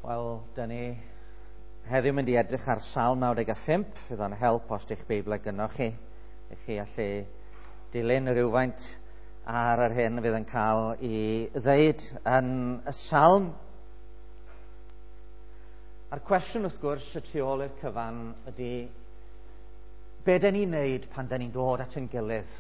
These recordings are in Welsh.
Wel, dyn ni heddiw mynd i edrych ar Salm 95. Fydd o'n help os di'ch Beibl gynnoch chi, i chi allu dilyn rhywfaint ar yr hyn fydd yn cael ei ddeud yn y Salm. A'r cwestiwn wrth gwrs y tu ôl i'r cyfan ydy be dyn ni'n neud pan dyn ni'n dod at ein gilydd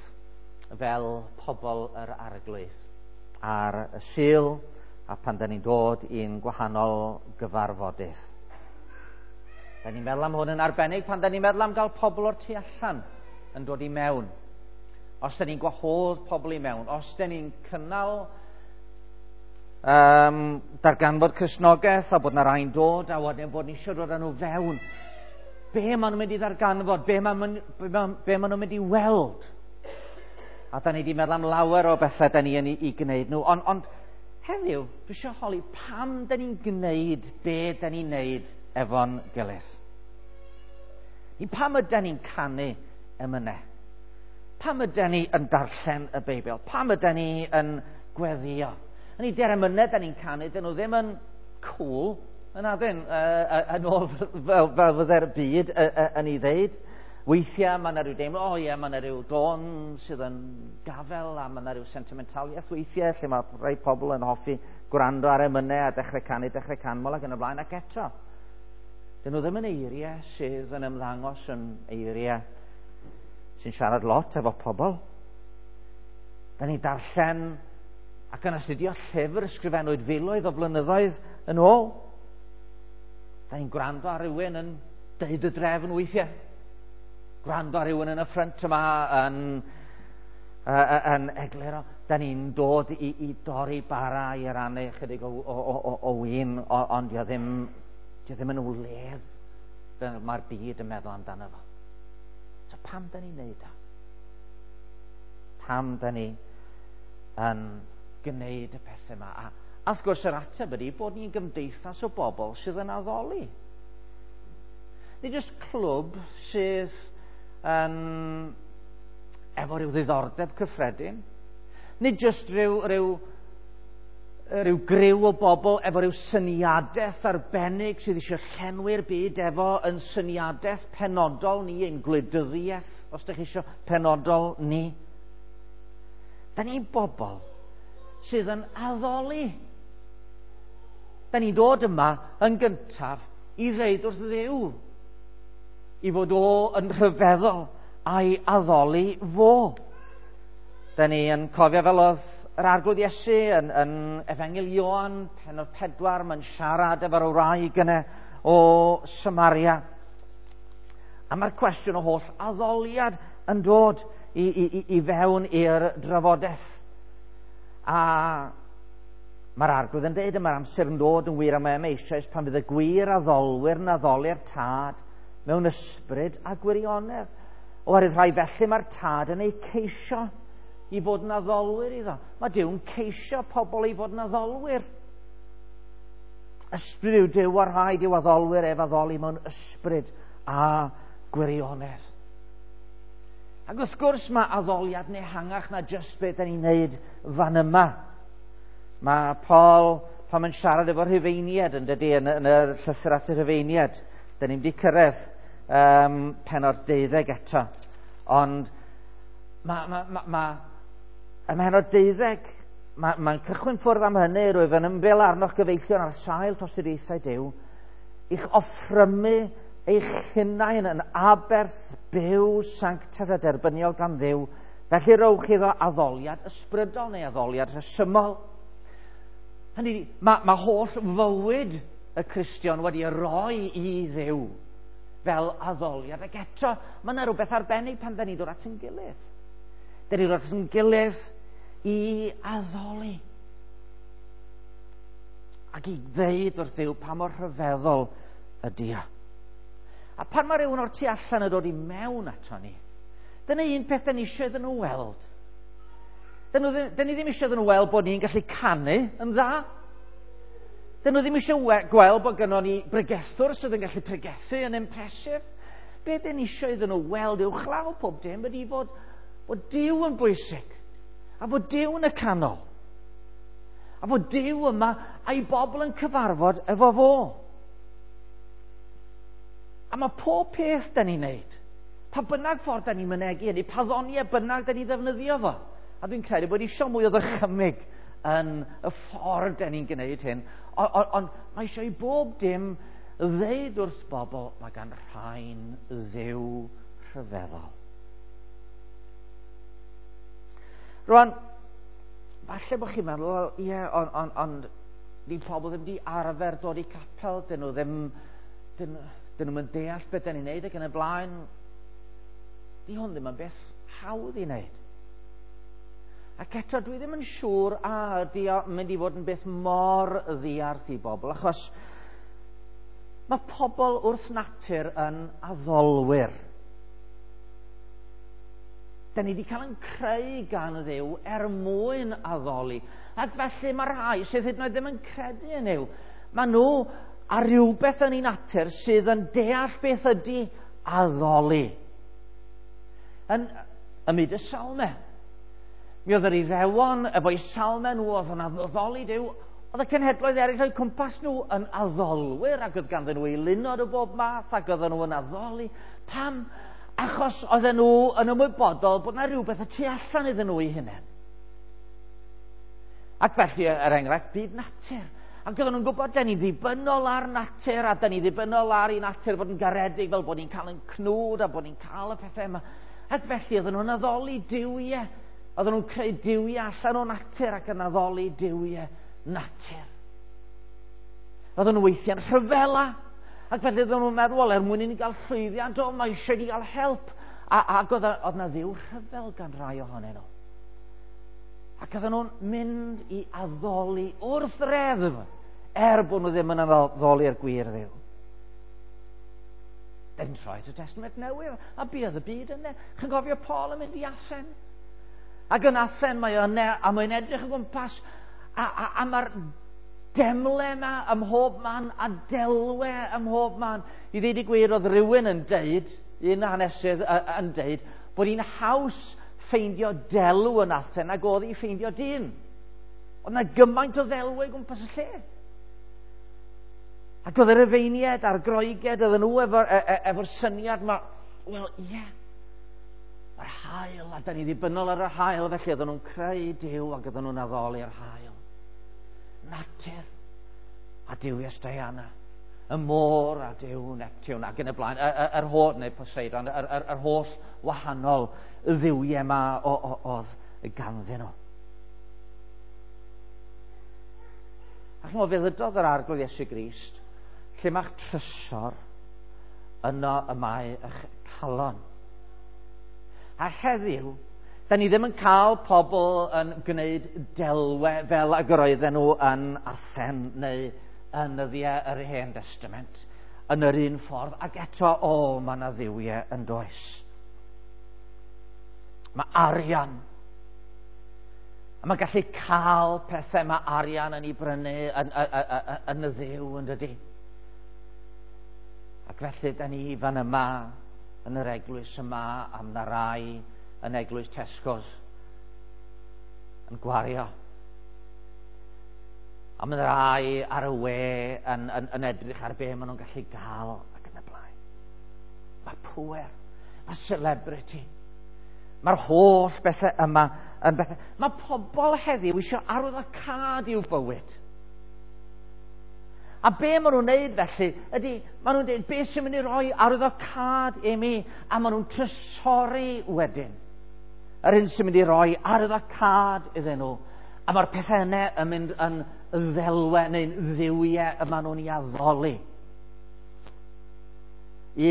fel pobl yr Arglwydd ar y Sul a pan dyn ni'n dod i'n gwahanol gyfarfodydd. Da ni'n meddwl am hwn yn arbennig pan da ni'n meddwl am gael pobl o'r tu allan yn dod i mewn. Os da ni'n gwahodd pobl i mewn, os da ni'n cynnal darganfod Cristnogaeth a bod na rai'n dod a wedyn bod ni eisiau dod â nhw fewn, be maen nhw'n mynd i ddarganfod, be maen, be, be maen nhw'n mynd i weld? A da ni wedi meddwl am lawer o bethau da ni yn ei gwneud nhw, ond heddiw, dwi eisiau holi pam da ni'n gwneud be da ni'n gwneud efo'n gilydd. I pam ydy ni'n canu emynau? Pam ydy ni yn darllen y Beibl? Pam ydy ni yn gweddio? Yn i di'r emynau da ni'n canu, dyn nhw ddim yn cool, yn adyn, yn ôl fel fydde'r byd yn ei ddeud. Weithiau mae yna rhyw deimlo, o ie, mae yna rhyw dôn sydd yn gafel a mae yna rhyw sentimentaliaeth weithiau lle mae rhai pobl yn hoffi gwrando ar emynau a dechrau canu, dechrau canmol ac yn y blaen, ac eto. Dyn nhw ddim yn eiriau sydd yn ymddangos yn eiriau sy'n siarad lot efo pobl. Da ni'n darllen ac yn astudio llyfr ysgrifennwyd filoedd o blynyddoedd yn ôl. Da ni'n gwrando ar rywun yn deud y drefn weithiau. Gwrando ar rywun yn y ffrynt yma yn egluro. Da ni'n dod i dorri bara i rannu chydig o win, ond dio ddim yn wledd fel mae'r byd yn meddwl amdano fo. So pam da ni'n neud o? Pam da ni yn gwneud y pethau yma? A wrth gwrs yr ateb ydy bod ni'n gymdeithas o bobl sydd yn addoli. Nid jyst clwb sydd yn efo rhyw ddiddordeb cyffredin. Nid jyst rhyw griw o bobl efo rhyw syniadaeth arbennig sydd eisiau llenwi'r byd efo yn syniadaeth penodol ni, ein gwleidyddiaeth, os ydych chi eisiau penodol ni. Da ni'n bobl sydd yn addoli. Da ni'n dod yma yn gyntaf i ddeud wrth Dduw i fod o yn rhyfeddol a'i addoli fo. Da ni yn cofio fel oedd yr Arglwydd Iesu yn Efengyl Ioan, pennod 4, mae'n siarad efo'r wraig yna o Samaria. A mae'r cwestiwn o holl addoliad yn dod i fewn i'r drafodaeth. A mae'r Arglwydd yn dweud, mae'r amser yn dod yn wir am eisoes pan fydd y gwir addolwyr yn addoli'r Tad mewn ysbryd a gwirionedd. Oherwydd rhai felly mae'r Tad yn eu ceisio i fod yn addolwyr iddo. Mae Duw'n ceisio pobl i fod yn addolwyr. Ysbryd yw Duw a rhaid i'w addolwyr ef addoli mewn ysbryd a gwirionedd. Ac wrth gwrs mae addoliad yn ehangach na jyst beth da ni'n neud fan yma. Mae Paul, pan mae'n siarad efo'r Rhufeiniaid, yn dydy, yn y llythyr at y Rhufeiniaid, da ni'n wedi cyrraedd pennod 12 eto. Ond ym mhennod 12, mae'n cychwyn ffwrdd am hynny, rwyf yn ymbil arnoch gyfeillion ar sail tosturiaethau Duw, i'ch offrymu eich hunain yn aberth byw sanctaidd a derbyniol gan Dduw, felly rowch iddo addoliad ysbrydol neu addoliad rhesymol. Hynny, mae holl fywyd y Cristion wedi roi i Dduw fel addoliad, ac eto mae yna rhywbeth arbennig pan da ni'n dod at ein gilydd. Da ni'n dod at ein gilydd i addoli ac i ddeud wrth Dduw pa mor rhyfeddol ydy o. A pan mae rhywun o'r tu allan yn dod i mewn ato ni, dyna un peth da ni eisiau iddyn nhw weld. Da ni ddim eisiau iddyn nhw weld bod ni'n gallu canu yn dda. Da nhw ddim eisiau gweld bod gynnon ni bregethwr sydd yn gallu pregethu yn impressive. Be da ni eisiau iddyn nhw weld uwchlaw pob dim ydy fod Duw yn bwysig a fod Duw yn y canol. A bod Duw yma a'i bobl yn cyfarfod efo fo. A mae pob peth da ni'n neud, pa bynnag ffordd da ni'n mynegi hynny, pa ddoniau bynnag da ni'n ddefnyddio fo. A dwi'n credu bod eisiau mwy o ddychymyg yn y ffordd da ni'n gwneud hyn. Ond mae eisiau i bob dim ddeud wrth bobl, mae gan rhain Dduw rhyfeddol. Rwan, falle bod chi'n meddwl, wel, ie, yeah, ond on, on, di pobl ddim di arfer dod i capel, dyn nhw ddim, dyn, dyn nhw'n deall beth dyn ni'n neud ac yn y blaen. Di hwn ddim yn beth hawdd i wneud. Ac eto, dwi ddim yn siŵr a ydy o'n mynd i fod yn beth mor ddiarth i bobl, achos mae pobl wrth natur yn addolwyr. Da ni wedi cael yn creu gan Dduw er mwyn addoli. Ac felly mae rhai sydd hyd yn oed ddim yn credu yn Nuw. Mae nhw ar rhywbeth yn ei natur sydd yn deall beth ydy addoli. Yn y myd y salme. Mi oedd yr Iddewon efo'u salme nhw oedd yn addoli Duw. Oedd y cenhedloedd eraill o'u cwmpas nhw yn addolwyr ac oedd ganddyn nhw eilunod o bob math ac oedden nhw yn addoli. Pam? Achos oedden nhw yn ymwybodol bod yna rhywbeth y tu allan iddyn nhw eu hunain. Ac felly, er enghraifft, byd natur. Ac oedden nhw'n gwybod, da ni'n ddibynnol ar natur, a da ni'n ddibynnol ar i natur fod yn garedig, fel bod ni'n cael yn cnwd, a bod ni'n cael y pethau yma. Ac felly, oedden nhw'n addoli duwiau. Oedden nhw'n creu duwiau allan o natur ac yn addoli duwiau natur. Oedden nhw weithiau'n rhyfela. Ac felly oedden nhw'n meddwl, wel, er mwyn i ni gael llwyddiant, o, mae eisiau ni gael help. Ac oedd yna ddiw rhyfel gan rai ohonyn nhw. Ac oedden nhw'n mynd i addoli wrth reddf, er bod nhw ddim yn addoli'r gwir Dduw. Dyn troi at y Testament Newydd, a buodd y byd yna. Chi'n cofio Paul yn mynd i Athen? Ac yn Athen mae yna, a mae'n edrych o gwmpas, a mae'r demle yma ym mhob man, a delwe ym mhob man. I ddweud y gwir, oedd rhywun yn deud, un hanesydd yn deud, bod hi'n haws ffeindio delw yn Athen nag oedd hi ffeindio dyn. Oedd yna gymaint o ddelwau gwmpas y lle. Ac oedd yr Rufeiniaid a'r Groegiaid, oedden nhw efo'r efo syniad yma, wel, ie, yeah, mae'r haul, a da ni ddibynnol ar yr haul, felly oedden nhw'n creu Duw ac oedden nhw'n addoli'r haul. Natur a duwies Diana, y môr a Duw Neptune, ac yn y blaen, yr holl, neu Poseidon, yr holl wahanol dduwiau yma oedd ganddyn nhw. Ac chimod, fe ddydodd yr Arglwydd Iesu Grist, lle mae'ch trysor, yno y mae eich calon. A heddiw, da ni ddim yn cael pobl yn gwneud delwe fel ag yr oedden nhw yn Athen neu yn nyddiau yr Hen Testament, yn yr un ffordd, ac eto, o, mae yna dduwiau yn does. Mae arian. A mae gallu cael pethau mae arian yn ei brynu yn y dduw, yn dydy. Ac felly, da ni fan yma, yn yr eglwys yma, am na rai yn eglwys Tesco's, yn gwario. A mae rai ar y we yn edrych ar be maen nhw'n gallu gael ac yn y blaen. Mae pŵer, mae celebrity. Mae'r holl bethau yma yn bethau. Mae pobl heddiw eisiau arwyddocâd i'w bywyd. A be maen nhw'n neud felly ydy, maen nhw'n dweud, be sy'n mynd i roi arwyddocâd i mi? A maen nhw'n trysori wedyn. Yr un sy'n mynd i roi arwyddocâd iddyn nhw. A mae'r pethau yna yn mynd yn ddelwe neu'n dduwiau y maen nhw'n ei addoli.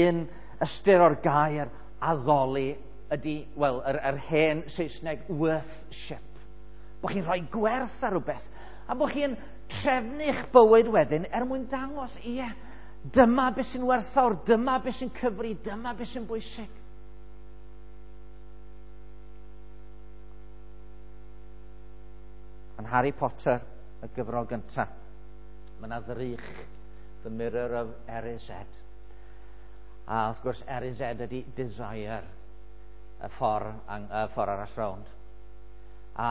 Un ystyr o'r gair addoli ydy, wel, yr hen Saesneg worthship. Bod chi'n rhoi gwerth ar rhywbeth, a bod chi'n trefnu'ch bywyd wedyn er mwyn dangos, ie, dyma beth sy'n werthfawr, dyma beth sy'n cyfri, dyma beth sy'n bwysig. Yn Harry Potter, y gyfrol gyntaf, mae yna ddrych, The Mirror of Erised. A wrth gwrs, Erised ydy desire, y ffordd arall rownd. A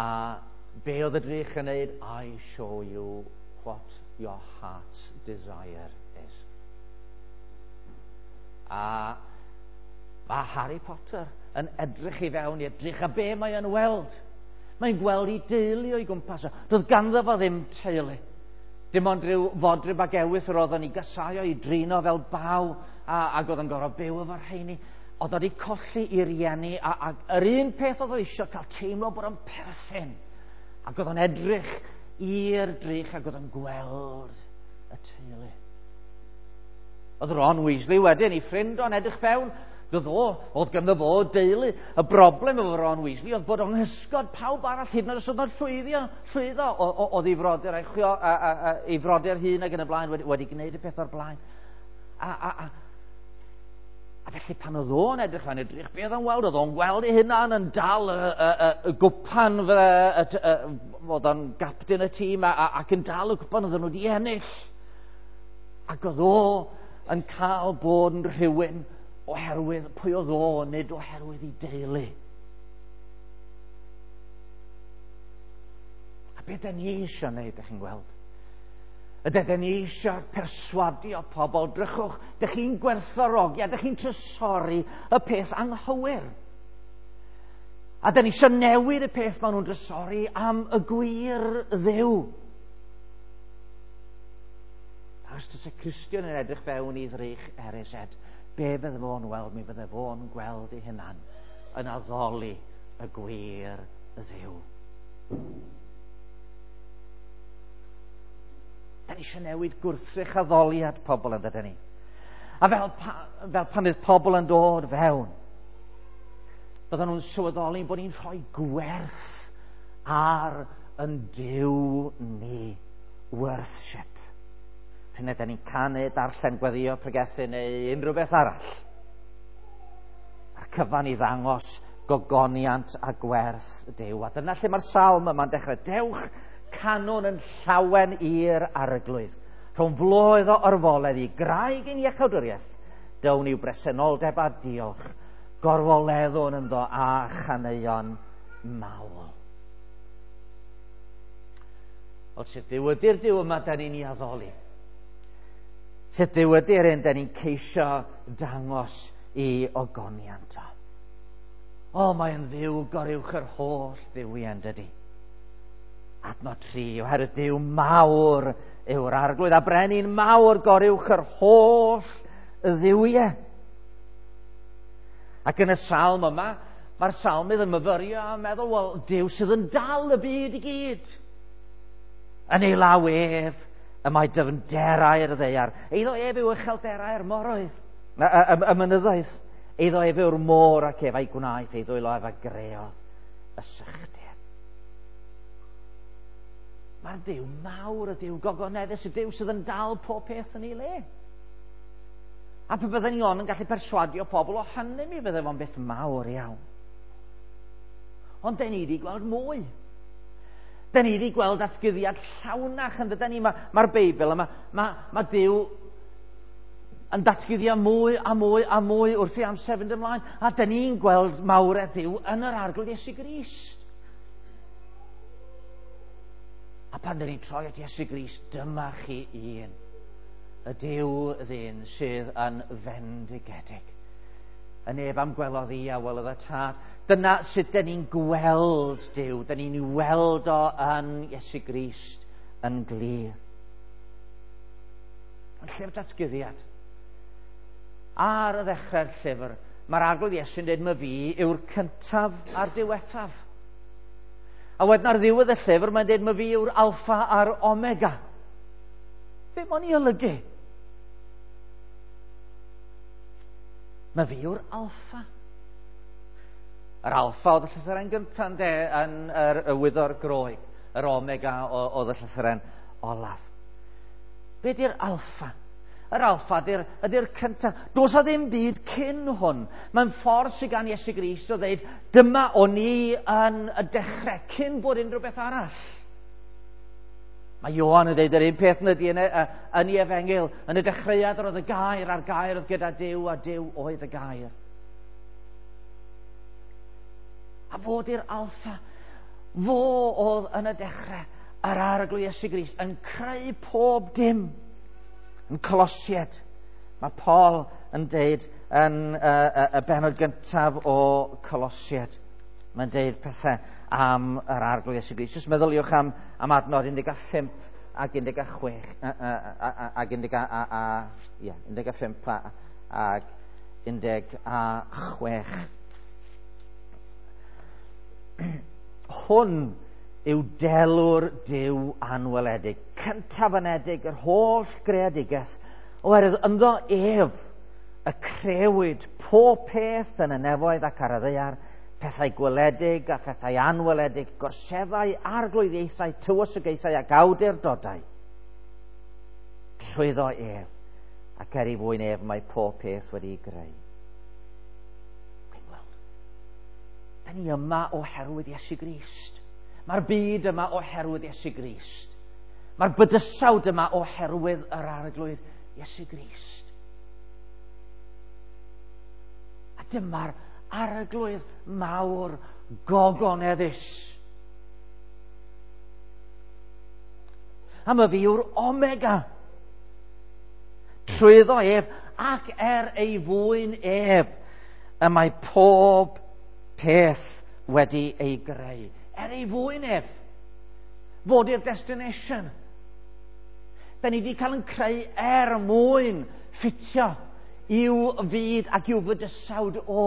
Be oedd y drych yn neud? I show you what your heart's desire is. A mae Harry Potter yn edrych i fewn i'r drych, a be mae yn weld? Mae'n gweld ei deulu o'i gwmpas o. Doedd ganddo fo ddim teulu. Dim ond rhyw fodryb ag ewyth yr oedd yn ei gasau o'i drino fel baw, ac oedd yn gorfod byw efo'r rheini. Oedd wedi colli i rieni, a yr un peth oedd o eisiau cael teimlo bod o'n perthyn. Ac oedd o'n edrych i'r drych ac oedd o'n gweld y teulu. Oedd Ron Weasley wedyn, ei ffrind o'n edrych fewn, doedd o, oedd ganddo fo deulu. Y broblem efo Ron Weasley oedd bod o'n hysgod pawb arall, hyd yn oed os oedd o'n llwyddo, oedd ei frodyr a'i chwio, ei frodyr hun ac yn y blaen wedi gwneud y peth o'r blaen. A felly pan oedd o'n edrych fan edrych, be oedd o'n weld? Oedd o'n gweld ei hunan yn dal y gwpan, oedd o'n gapten y tîm ac yn dal y gwpan oedden nhw wedi ennill. Ac oedd o yn cael bod yn rhywun oherwydd pwy oedd o, nid oherwydd ei deulu. A beth da ni eisiau wneud, ydych chi'n gweld? Ydych ni eisiau perswadio pobl, drychwch, dych chi'n gwerthfawrogi a dych chi'n trysori y peth anghywir. A dyn ni eisiau newid y peth maen nhw'n trysori am y gwir Dduw. A os oes y Cristion yn edrych fewn i ddrych RSZ, be fydde fo'n weld? Mi fydde fo'n gweld ei hunan yn addoli y gwir Dduw. Da ni eisiau newid gwrthrych addoliad pobl yn dydyn ni. A fel pan fydd pobl yn dod fewn, bydden nhw'n sylweddoli bod ni'n rhoi gwerth ar yn Duw ni. Worship. Pryd ydyn ni'n canu, darllen, gweddio, pregethu neu unrhyw beth arall. Mae'r cyfan i ddangos gogoniant a gwerth Duw. A dyna lle mae'r salm yma'n dechrau. Dewch canwn yn llawen i'r arglwydd. Rhwng floedd o orfoledd i graig ein iachawdwriaeth, down i'w bresenoldeb a diolch, gorfoleddwn ynddo a chaneuon mawl. Wel, sut Dduw ydy'r Duw yma da ni'n ei addoli? Sut Dduw ydy'r un da ni'n ceisio dangos i ogoniant o? O, mae'n Dduw goruwch yr holl dduwiau, dydy. Adnod 3, oherwydd Duw mawr yw'r arglwydd, a brenin mawr goruwch yr holl dduwiau. Ac yn y salm yma, mae'r salmydd yn myfyrio a meddwl, wel, Duw sydd yn dal y byd i gyd. Yn ei law ef, y mae dyfnderau'r ddaear. Eiddo ef yw uchelderau'r moroedd, y mynyddoedd. Eiddo ef yw'r môr ac ef a'i gwnaeth, ei ddwylo ef a greodd y sychder. Mae'r Duw mawr, y Duw gogoneddus, y Duw sydd yn dal pob peth yn ei le. A pe bydden ni ond yn gallu perswadio pobl o hynny, mi fydde fo'n beth mawr iawn. Ond den ni wedi gweld mwy. Den ni wedi gweld datguddiad llawnach yn dyden ni. Mae'r Beibl yma, mae Duw yn datguddio mwy a mwy a mwy wrth i amser fynd ymlaen. A den ni'n gweld mawredd Duw yn yr Arglwydd Iesu Grist. A pan dyn ni'n troi at Iesu Grist, dyma chi un, y Duw ddyn sydd yn fendigedig. Y neb am gwelodd i a welodd y Tad. Dyna sut dyn ni'n gweld Duw, dyn ni'n weld o yn Iesu Grist yn glir. Yn llyfr datguddiad. Ar y ddechrau'r llyfr, mae'r Arglwydd Iesu'n dweud, "Ma fi yw'r cyntaf a'r diwethaf." A wedyn ar ddiwedd y llyfr, mae'n dweud, "Ma fi yw'r alffa a'r omega." Be mae'n ei olygu? Ma fi yw'r alffa. Yr alffa oedd y llythyren gyntaf ynde, yn yr wyddor Groeg. Yr omega oedd y llythyren olaf. Be di'r alffa? Yr alffa ydy'r cyntaf. Does a ddim byd cyn hwn. Mae'n ffordd sydd gan Iesu Grist o ddeud, dyma o'n i yn y dechrau, cyn bod unrhyw beth arall. Mae Ioan yn dweud yr un peth yn ydy yn ei efengyl. Yn y dechreuad yr oedd y gair, a'r gair oedd gyda Duw, a Duw oedd y gair. A fod i'r alffa. Fo oedd yn y dechrau yr Arglwydd Iesu Grist yn creu pob dim. Yn Colosied, mae Paul yn deud yn y benod gyntaf o Colosied. Mae'n deud pethau am yr Arglwydd Iesu Grist. Jyst meddyliwch am adnod 15 ac 16 ac 15 ac 16. Hwn yw delw'r Duw anweledig, cyntaf anedig yr holl greadigaeth, oherwydd ynddo ef y crewyd pob peth yn y nefoedd ac ar y ddaear, pethau gweledig a phethau anweledig, gorseddau, arglwyddiaethau, tywysogaethau ac awdurdodau. Trwyddo ef, ac er ei fwyn ef mae pob peth wedi'i greu. Chi'n gweld? Da ni yma oherwydd Iesu Grist. Mae'r byd yma oherwydd Iesu Grist. Mae'r bydysawd yma oherwydd yr Arglwydd Iesu Grist. A dyma'r Arglwydd mawr gogoneddus. A mae fi yw'r Omega. Trwyddo ef ac er ei fwyn ef y mae pob peth wedi ei greu. Er ei fwyn ef. Fod i'r destination. Da ni wedi cael yn creu er mwyn ffitio i'w fyd ac i'w fydysawd o.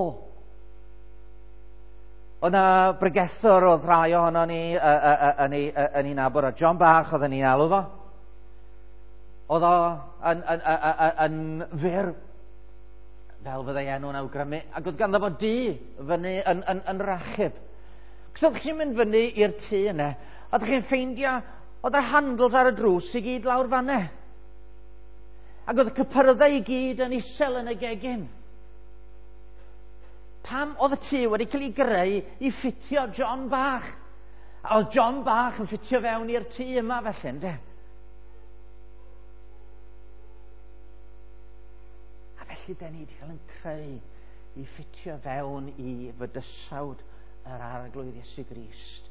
Oedd na bregethwr oedd rhai ohono ni yn ei nabod, a John Bach oedden ni'n alw fo. Oedd o yn fyr, fel fyddai enw'n awgrymu, ac oedd ganddo fo dŷ fyny yn Rachub. Cos oeddech chi'n mynd fyny i'r tŷ yna, a oeddech chi'n ffeindio, oedd yr handles ar y drws i gyd lawr fanna. Ac oedd y cypyrddau i gyd yn isel yn y gegin. Pam oedd y tŷ wedi cael ei greu i ffitio John Bach? A oedd John Bach yn ffitio fewn i'r tŷ yma felly, ynde? A felly da ni wedi cael yn creu i ffitio fewn i fydysawd yr Arglwydd Iesu Grist.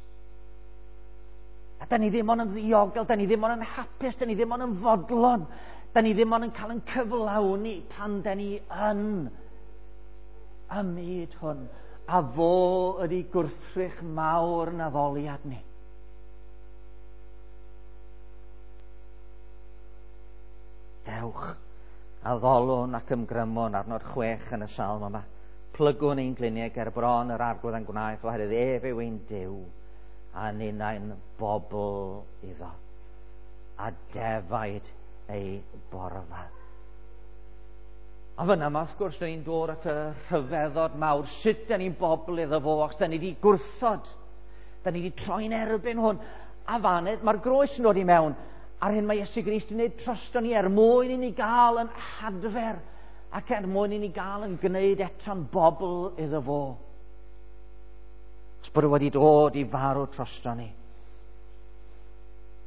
A da ni ddim ond yn ddiogel, da ni ddim ond yn hapus, da ni ddim ond yn fodlon, da ni ddim ond yn cael yn cyflawni pan da ni yn y myd hwn, a fo ydi gwrthrych mawr yn addoliad ni. Dewch, addolwn ac ymgrymwn arno'r 6 yn y salm yma. Plygwn ein gliniau ger bron yr Arglwydd a'n gwnaeth, oherwydd ef yw ein Duw, a ninnau'n bobl iddo, a defaid ei borfa. A fyna yma, wrth gwrs, da ni'n dod at y rhyfeddod mawr. Sut da ni'n bobl iddo fo, achos da ni wedi gwrthod. Da ni wedi troi'n erbyn hwn. A faned, mae'r groes yn dod i mewn. A'r hyn mae Iesu Grist yn gwneud drosto ni er mwyn i ni gael yn hadfer ac er mwyn i ni gael yn gwneud eto'n bobl iddo fo. Os bod o wedi dod i farw drosto ni.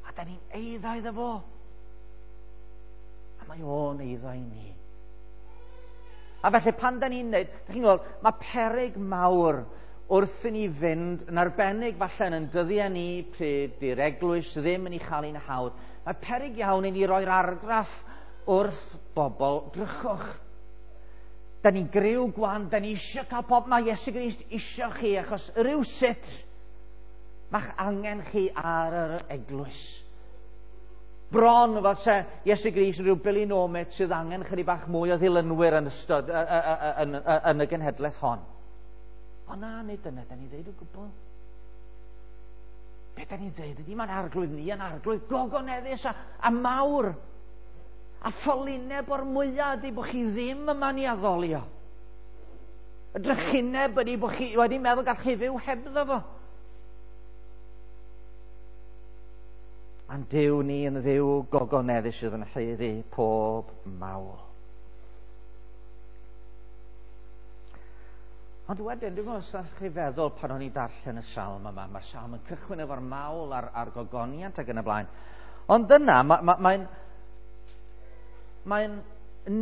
A da ni'n eiddo iddo fo. A mae o'n eiddo i ni. A felly pan da ni'n neud, da chi'n gweld, mae peryg mawr wrth i ni fynd, yn arbennig falle yn dyddiau ni pryd di'r eglwys ddim yn ei chael ein hawdd. Mae peryg iawn i ni roi'r argraff wrth bobl, drychwch. Da ni'n griw gwan, da ni eisiau cael pob, mae Iesu Grist eisiau chi, achos rhywsut mae'ch angen chi ar yr eglwys. Bron fel se Iesu Grist yn rhyw bilinomet sydd angen chydig bach mwy o ddilynwyr yn ystod yn y genhedlaeth hon. O na, nid dyna da ni ddeud o gwbl. Be da ni'n ddeud ydy mae'n arglwydd ni yn arglwydd gogoneddus a mawr. A ffolineb o'r mwyaf ydy bod chi ddim yma ni addolio. Y drychineb ydy bod chi wedi meddwl gall chi fyw hebddo fo. A'n Duw ni yn Dduw gogoneddus sydd yn haeddu pob mawl. Ond wedyn, dwi'n meddwl, os chi feddwl pan o'n i'n darllen y salm yma, mae'r salm yn cychwyn efo'r mawl a'r gogoniant ac yn y blaen. Ond yna, mae'n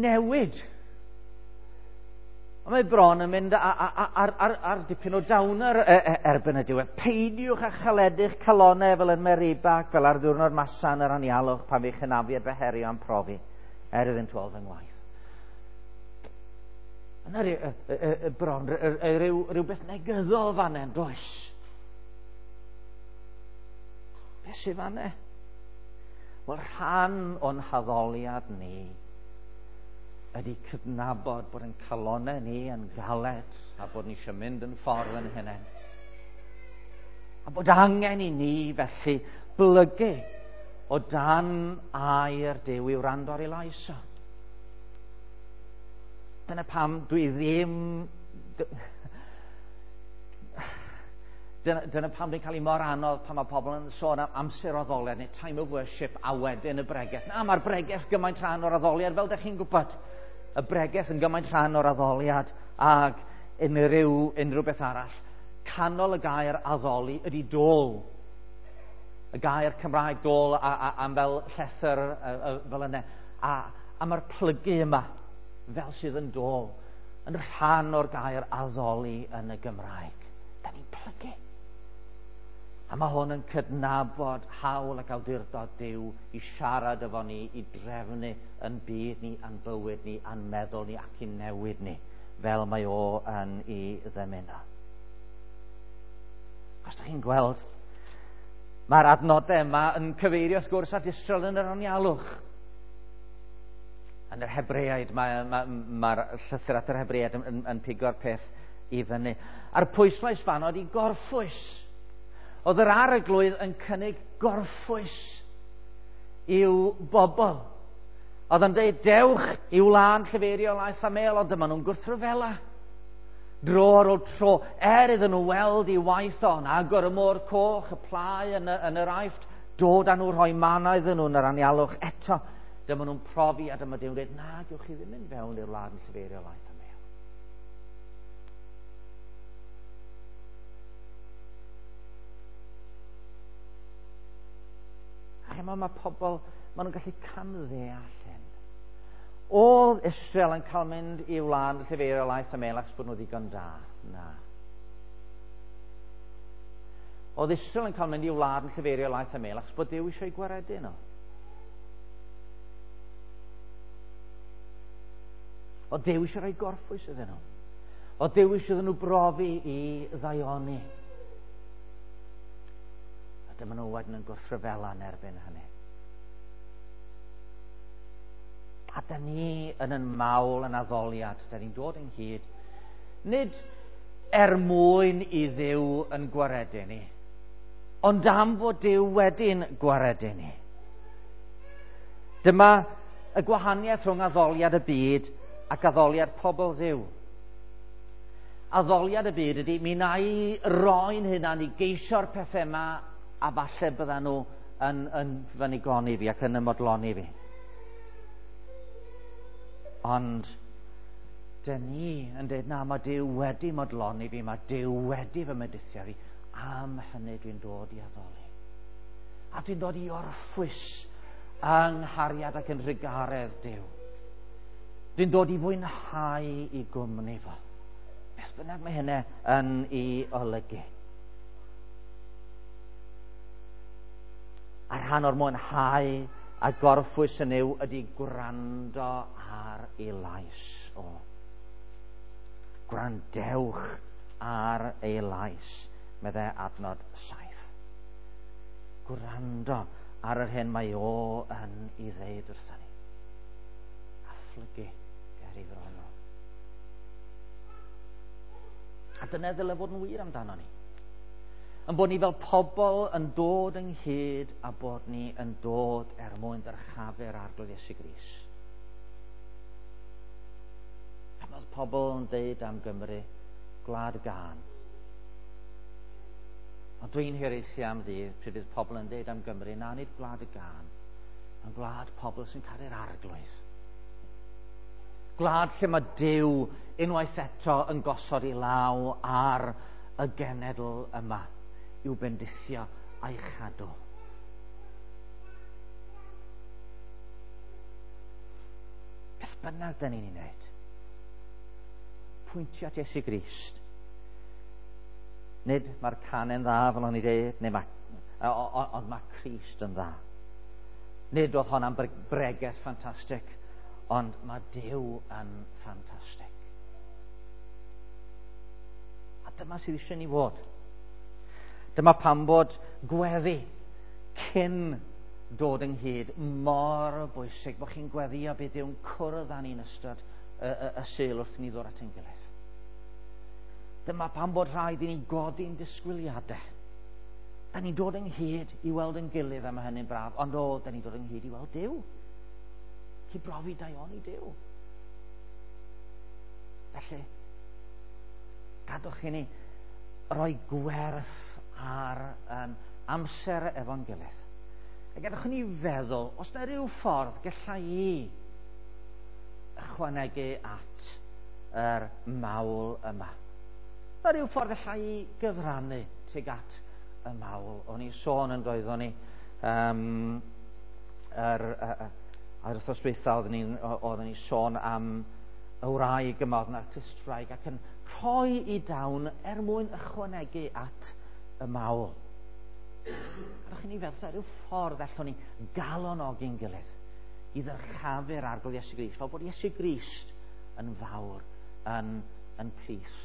newid. Ond mae bron yn mynd ar dipyn o downer erbyn y diwedd. Peidiwch â chaledu'ch calonau fel yn Meriba, fel ar ddiwrnod Masa yn yr anialwch pan fe'ch hynafiad fy herio am profi, er iddynt weld fy ngwaith. Yna bron rhywbeth negyddol fan hyn, does? Beth sydd fan hyn? Wel, rhan o'n haddoliad ni ydy cydnabod bod yn calonau ni yn galed a bod ni eisiau mynd yn ffordd yn hynny. A bod angen i ni felly blygu o dan air Duw i wrando ar ei lais o. Dyna pam dwi ddim... Dyna pam dwi'n cael ei mor anodd pan mae pobl yn sôn am amser addoliad neu time of worship a wedyn y bregeth. Na, mae'r bregeth gymaint rhan o'r addoliad, fel ydych chi'n gwybod. Y bregeth yn gymaint rhan o'r addoliad ag unrhyw beth arall. Canol y gair addoli ydy dôl. Y gair Cymraeg dôl am fel llethr fel yna. A mae'r plygu yma fel sydd yn dôl yn rhan o'r gair addoli yn y Gymraeg. Da ni'n plygu. A mae hwn yn cydnabod hawl ac awdurdod Duw i siarad efo ni, i drefnu yn byd ni, a'n bywyd ni, a'n meddwl ni ac i newid ni, fel mae o yn ei ddymuno. Os ydych chi'n gweld, mae'r adnodau yma yn cyfeirio wrth gwrs at Israel yn yr anialwch. Yn yr Hebreaid, mae'r llythyr at yr Hebreaid yn pigo'r peth i fyny. A'r pwyslais fan oedd i gorffwys. Oedd yr arglwydd yn cynnig gorffwys i'w bobl. Oedd yn dweud, dewch i wlân llefeirio laeth a mel, ond dyma nhw'n gwrthryfela. Dro ar ôl tro, er iddyn nhw weld i waith o'n agor y môr coch, y plau yn yr Aifft, dod â nhw rhoi mana iddyn nhw yn yr anialwch eto. Dyma nhw'n profi a dyma Duw'n dweud, na, gewch chi ddim mynd fewn i'r wlad yn llefeirio laeth a mel. Chimod, mae pobl, maen nhw'n gallu camddeall hyn. Oedd Israel yn cael mynd i wlad llefeirio laeth a mel achos bod nhw ddigon da? Na. Oedd Israel yn cael mynd i wlad yn llefeirio laeth a mel achos bod Duw eisiau gwaredu nhw. Oedd Duw eisiau rhoi gorffwys iddyn nhw. Oedd Duw eisiau iddyn nhw brofi i ddaioni. A dyma nhw wedyn yn gwrthryfela yn erbyn hynny. A da ni yn yn mawl yn addoliad, da ni'n dod ynghyd, nid er mwyn i Dduw yn gwaredu ni, ond am fod Duw wedi'n gwaredu ni. Dyma y gwahaniaeth rhwng addoliad y byd ac addoliad pobl Dduw. Addoliad y byd ydy, mi wna i roi'n hunan i geisio'r pethau yma a falle byddan nhw yn fy nigoni fi ac yn ymodloni fi. Ond dyn ni yn dweud, na, mae Duw wedi modloni fi, mae Duw wedi fy mendithio fi, am hynny dwi'n dod i addoli. A dwi'n dod i orffwys yng nghariad ac yn rhugaredd Duw. Dwi'n dod i fwynhau i gwmni fo. Beth bynnag mae hynny yn ei olygu. A rhan o'r mwynhau a gorffwys yn yw ydy gwrando ar ei lais o. Gwrandewch ar ei lais, meddai adnod 7. Gwrando ar yr hyn mae o yn ei ddeud wrthyn ni. A phlygu ger ei fron o. A dyna ddyle fod yn wir amdano ni. Yn bod ni fel pobl yn dod ynghyd a bod ni yn dod er mwyn dyrchafu'r Arglwydd Iesu Grist. Pan oedd pobl yn deud am Gymru, gwlad gân. Ond dwi'n hiraethu am ddydd pryd fydd pobl yn deud am Gymru, na, nid gwlad y gân, ond gwlad pobl sy'n caru'r Arglwydd. Gwlad lle mae Duw unwaith eto yn gosod ei law ar y genedl yma i'w bendithio a'i chadw. Beth bynnag da ni'n ei wneud, pwyntio at Iesu Grist. Nid mae'r canen dda, fel o'n i dweud, neu mae, ond mae Crist yn dda. Nid oedd hon am bregeth ffantastig, ond mae Duw yn ffantastig. A dyma sydd eisiau ni fod. Dyma pam bod gweddi cyn dod ynghyd mor bwysig, bod chi'n gweddio bydd Duw'n cwrdd â ni'n ystod y Sul wrth ni ddod at ein gilydd. Dyma pam bod rhaid i ni godi'n disgwyliadau. Da ni'n dod ynghyd i weld yn gilydd, a mae hynny'n braf, ond o, da ni'n dod ynghyd i weld Duw. I brofi daioni Duw. Felly, gadwch i ni roi gwerth ar amser efo'n gilydd. A gadwch i ni feddwl, os na rhyw ffordd gallai i ychwanegu at yr mawl yma. Mae rhyw ffordd allai i gyfrannu tuag at y mawl. O'n i sôn yn doeddwn ni ar wythnos dwytha oeddwn ni sôn am y wraig yma, oedd yn artistwraig ac yn rhoi i dawn er mwyn ychwanegu at y mawl. Gadwch i ni feddwl, rhyw ffordd allwn ni galonogi'n gilydd i ddyrchafu'r Arglwydd Iesu Grist, fel bod Iesu Grist yn fawr yn plith